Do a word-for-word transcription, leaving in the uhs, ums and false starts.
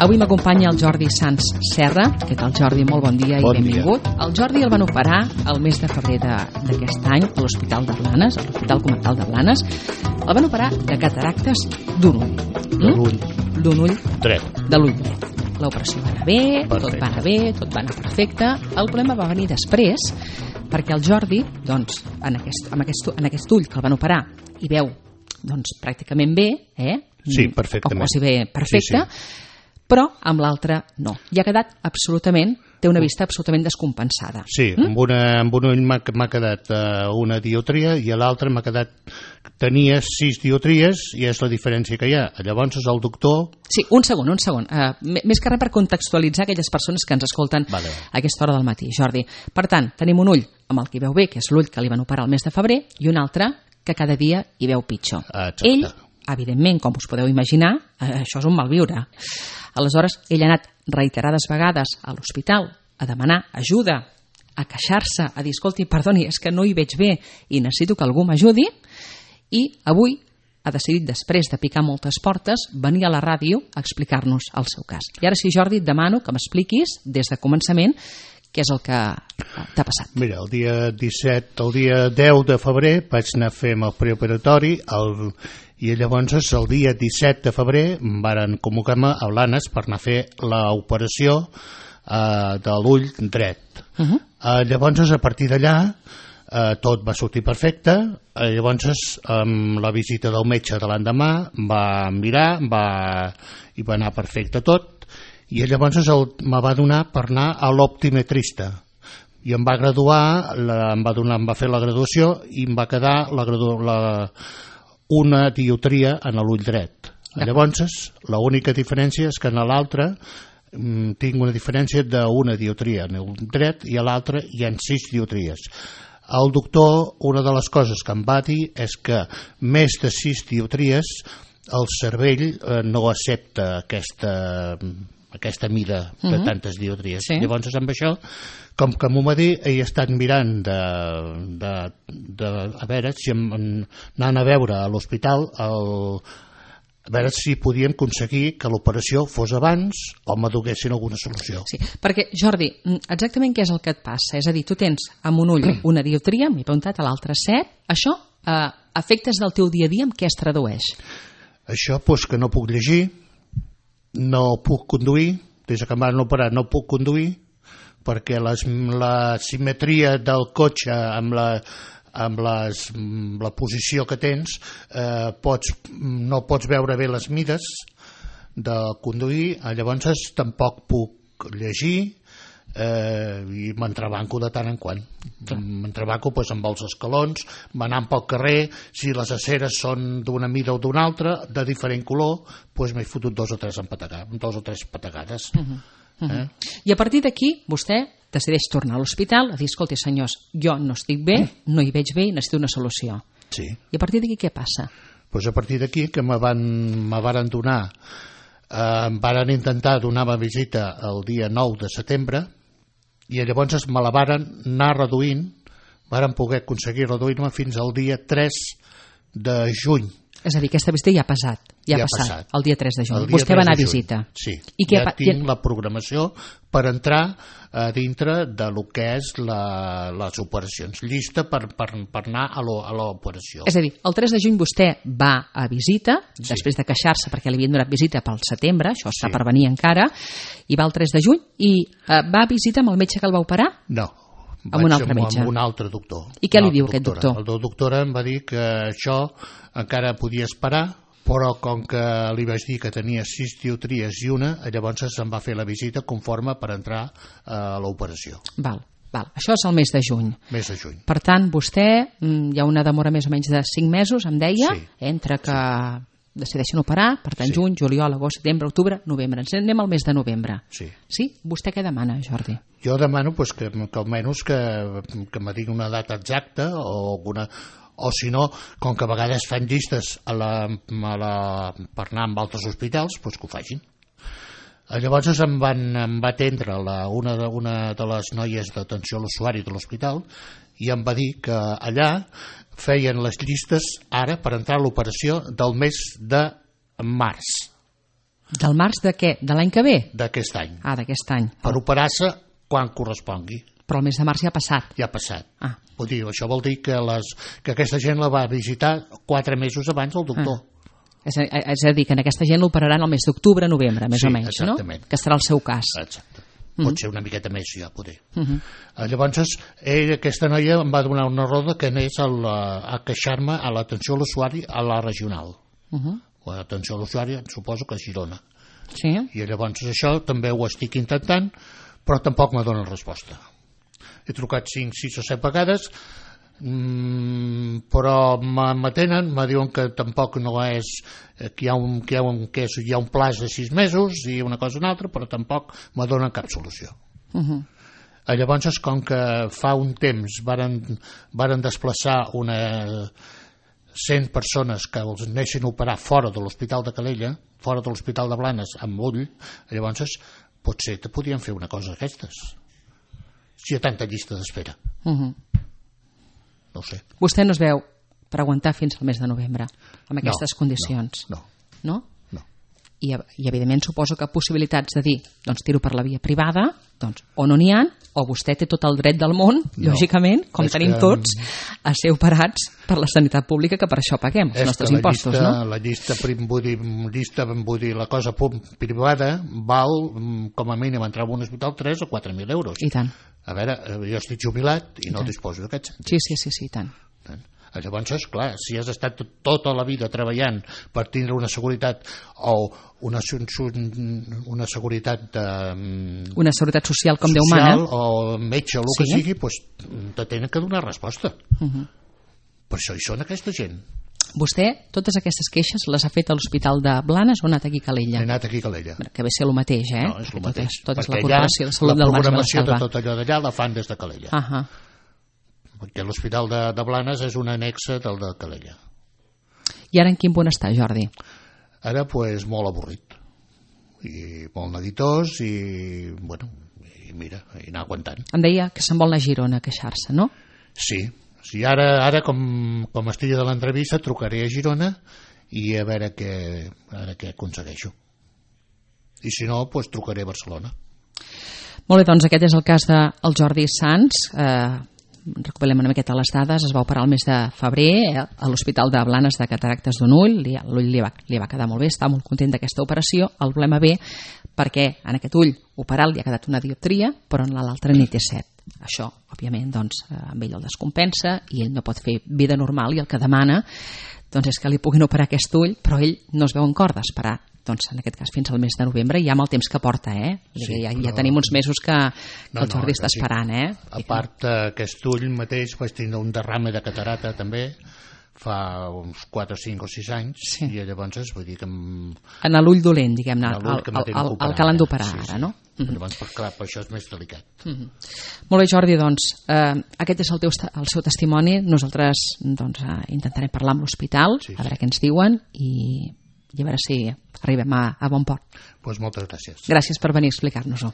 Avui m'acompanya el Jordi Sans Serra. Què tal, Jordi? Molt bon dia i bon benvingut. Dia. El Jordi el van operar el mes de febrer d'aquest any a l'Hospital de Blanes, a l'Hospital Comarcal de Blanes. El van operar de cataractes d'un ull. De l'ull. D'un ull dret. De l'ull dret. L'operació va anar bé, perfecte. tot va anar bé, tot va anar perfecte. El problema va venir després, perquè el Jordi, doncs, en aquest, en aquest, en aquest ull que el van operar, hi veu doncs, pràcticament bé, eh? Sí, perfectament. O quasi bé perfecte, sí, sí. Però amb l'altre no. I ha quedat absolutament, té una vista absolutament descompensada. Sí, mm? amb, una, amb un ull m'ha quedat uh, una dioptria i a l'altre m'ha quedat... Tenia sis dioptries i és la diferència que hi ha. Llavors el doctor... Sí, un segon, un segon. Uh, més que res per contextualitzar aquelles persones que ens escolten vale. A aquesta hora del matí, Jordi. Per tant, tenim un ull amb el que veu bé, que és l'ull que li van operar el mes de febrer, i un altre que cada dia hi veu pitjor. Exacte. Ell, evidentment, com us podeu imaginar, eh, això és un malviure. Aleshores, ell ha anat reiterades vegades a l'hospital a demanar ajuda, a queixar-se, a dir, escolti, perdoni, és que no hi veig bé i necessito que algú m'ajudi, i avui ha decidit, després de picar moltes portes, venir a la ràdio a explicar-nos el seu cas. I ara sí, Jordi, et demano que m'expliquis des de començament què és el que t'ha passat. Mira, el dia disset, el dia deu de febrer vaig anar a fer el preoperatori el, i llavors el dia disset de febrer em varen convocar-me a Blanes per anar a fer l'operació eh, de l'ull dret. Uh -huh. eh, llavors, a partir d'allà, eh, tot va sortir perfecte. Eh, llavors, amb la visita del metge de l'endemà va mirar va, i va anar perfecte tot. I llavors el, me va donar per anar a l'optimetrista i em va graduar, la, em, va donar, em va fer la graduació i em va quedar la, la, una dioptria en l'ull dret. Llavors, l'única diferència és que en l'altre mm, tinc una diferència d'una dioptria en l'ull dret i a l'altre hi ha sis dioptries. El doctor, una de les coses que em va dir és que més de sis dioptries el cervell eh, no accepta aquesta... aquesta mida de uh-huh. tantes dioptries. Sí. Llavors, amb això, com que m'ho va dir, he estat mirant de, de, de, a veure si em, anant a veure a l'hospital el, a veure si podien aconseguir que l'operació fos abans o me donessin alguna solució. Sí, perquè, Jordi, exactament què és el que et passa? És a dir, tu tens amb un ull una dioptria, m'he preguntat, a l'altre set. Això, eh, efectes del teu dia a dia, en què es tradueix? Això, doncs, que no puc llegir, no puc conduir, des que em van operar no puc conduir, perquè les, la simetria del cotxe amb la, amb les, la posició que tens eh, pots, no pots veure bé les mides de conduir. Llavors tampoc puc llegir eh, i m'entrebanco de tant en quant. M'entrebanco pues, amb els escalons, m'anant pel carrer, si les aceres són d'una mida o d'una altra, de diferent color, pues, m'he fotut dos o tres empatagades, dos o tres patagades. Uh -huh. Uh -huh. Eh? I a partir d'aquí vostè decideix tornar a l'hospital a dir, escolti senyors, jo no estic bé, no hi veig bé i necessito una solució. Sí. I a partir d'aquí què passa? Pues a partir d'aquí que me van, me varen donar, eh, em varen intentar donar la visita el dia nou de setembre i llavors me la varen anar reduint, varen poder aconseguir reduir-me fins al dia tres de juny. És a dir, aquesta visita ja ha passat, ja, ja ha passat, passat, el dia tres de juny. Vostè va anar a visita. Sí, I ja què, tinc la programació per entrar a dintre de lo que és la, les operacions, llista per, per, per anar a l'operació. És a dir, el tres de juny vostè va a visita, sí. després de queixar-se perquè li havien donat visita pel setembre, això està sí. per venir encara, i va el tres de juny i eh, va a visita amb el metge que el va operar? No. Amb un altre metge. Amb un altre doctor. I què li diu aquest doctor? El doctor em va dir que això encara podia esperar, però com que li vaig dir que tenia sis dioptries i una, llavors se'm va fer la visita conforme per entrar a l'operació. Val, val. Això és el mes de juny. Mes de juny. Per tant, vostè, hi ha una demora més o menys de cinc mesos, em deia, sí. entre que sí. decideixen operar, per tant, sí. juny, juliol, agost, setembre, octubre, novembre. Ens anem al mes de novembre. Sí. Sí? Vostè què demana, Jordi? Jo demano pues, que, que almenys que, que me digui una data exacta o alguna... o si no, com que a vegades fan llistes a la, a la, per anar amb altres hospitals, doncs que ho facin. Llavors em, van, em va atendre la, una, de, una de les noies d'atenció a l'usuari de l'hospital i em va dir que allà feien les llistes ara per entrar a l'operació del mes de març. Del març de què? De l'any que ve? D'aquest any. Ah, d'aquest any. Per operar-se quan correspongui. Però el mes de març ja ha passat. Ja ha passat. Ah. Vull dir, això vol dir que, les, que aquesta gent la va visitar quatre mesos abans del doctor. Ah. És, a, és a dir, que en aquesta gent l'operaran el mes d'octubre, novembre, més sí, o menys, exactament. No? Que serà el seu cas. Exacte. Pot mm-hmm. ser una miqueta més, ja, poder. Mm-hmm. Llavors, ell, aquesta noia em va donar una roda que anés a, la, a queixar-me a l'atenció a l'usuari a la regional. Mm-hmm. O a l'atenció a l'usuari, suposo que a Girona. Sí. I llavors això també ho estic intentant, però tampoc me dona resposta. He trucat cinc, sis o set vegades, mmm, però m'atenen, me diuen que tampoc no és, que hi ha un, que hi ha un, que és, hi ha un plaç de sis mesos i una cosa o una altra, però tampoc me donen cap solució. Uh-huh. Llavors, com que fa un temps varen, varen desplaçar una cent persones que els anessin a operar fora de l'Hospital de Calella, fora de l'Hospital de Blanes, amb ull, llavors potser te podien fer una cosa d'aquestes. Si hi ha tanta llista d'espera. Uh-huh. No ho sé. Vostè no es veu per aguantar fins al mes de novembre amb aquestes no, condicions? No. No? No. I, I evidentment suposo que possibilitats de dir doncs tiro per la via privada, doncs o no n'hi ha, o vostè té tot el dret del món, no. Lògicament, com és tenim que... tots, a ser operats per la sanitat pública, que per això paguem els nostres impostos, llista, no? La llista, vull dir, llista, vull dir, la cosa privada val com a mínim entrar en un hospital tres o quatre mil euros. I tant. A veure, jo estic jubilat i, I no tant. disposo d'aquests. Sí, sí, sí, sí, i tant. tant. Llavors, clar, si has estat tota la vida treballant per tindre una seguretat o una, una seguretat de, una seguretat social com Déu mana o metge o el sí. que sigui, doncs te tenen que donar resposta. Uh-huh. Per això hi són aquesta gent. Vostè, totes aquestes queixes les ha fet a l'Hospital de Blanes o ha anat aquí a Calella? He anat aquí a Calella. Que ve ser el mateix, eh? No, és el mateix. Tot és, tot és la Corporació de Salut del Baix Maresme. La programació de tot allò d'allà la fan des de Calella. Uh-huh. Perquè l'Hospital de, de Blanes és una anexa del de Calella. I ara en quin punt està, Jordi? Ara, pues, molt avorrit. I molt neguitós i, bueno, i mira, i anar aguantant. Em deia que se'n vol anar a Girona a queixar-se, no? Sí. Sí, ara, ara com, com estigui de l'entrevista, trucaré a Girona i a veure què, a veure què aconsegueixo. I si no, doncs trucaré a Barcelona. Molt bé, doncs aquest és el cas del Jordi Sans. Eh, recuperem una miqueta les dades. Es va operar el mes de febrer eh, a l'Hospital de Blanes de cataractes d'un ull. L'ull li, va, li va quedar molt bé, està molt content d'aquesta operació. El problema ve perquè en aquest ull operat li ha quedat una dioptria, però en l'altre n'hi té set. Això, òbviament, doncs, amb ell el descompensa i ell no pot fer vida normal i el que demana doncs, és que li puguin operar aquest ull, però ell no es veu en cor d'esperar, doncs, en aquest cas fins al mes de novembre, ja amb el temps que porta, eh? Sí, ja, ja tenim uns mesos que, que no, el Jordi no, està esperant, eh? A part, aquest ull mateix vaig tindre un derrame de catarata també, fa uns quatre, cinc o sis anys, sí. I llavors vull dir que... Em... En l'ull dolent, diguem-ne, el, el, el, el que l'han d'operar sí, ara, sí. no? Mm-hmm. Llavors, per, clar, per això és més delicat. Mm-hmm. Molt bé, Jordi, doncs, eh, aquest és el, teu, el seu testimoni. Nosaltres doncs, eh, intentarem parlar amb l'hospital, sí, sí. A veure què ens diuen i, i a veure si arribem a, a bon port. Pues moltes gràcies. Gràcies per venir a explicar-nos-ho.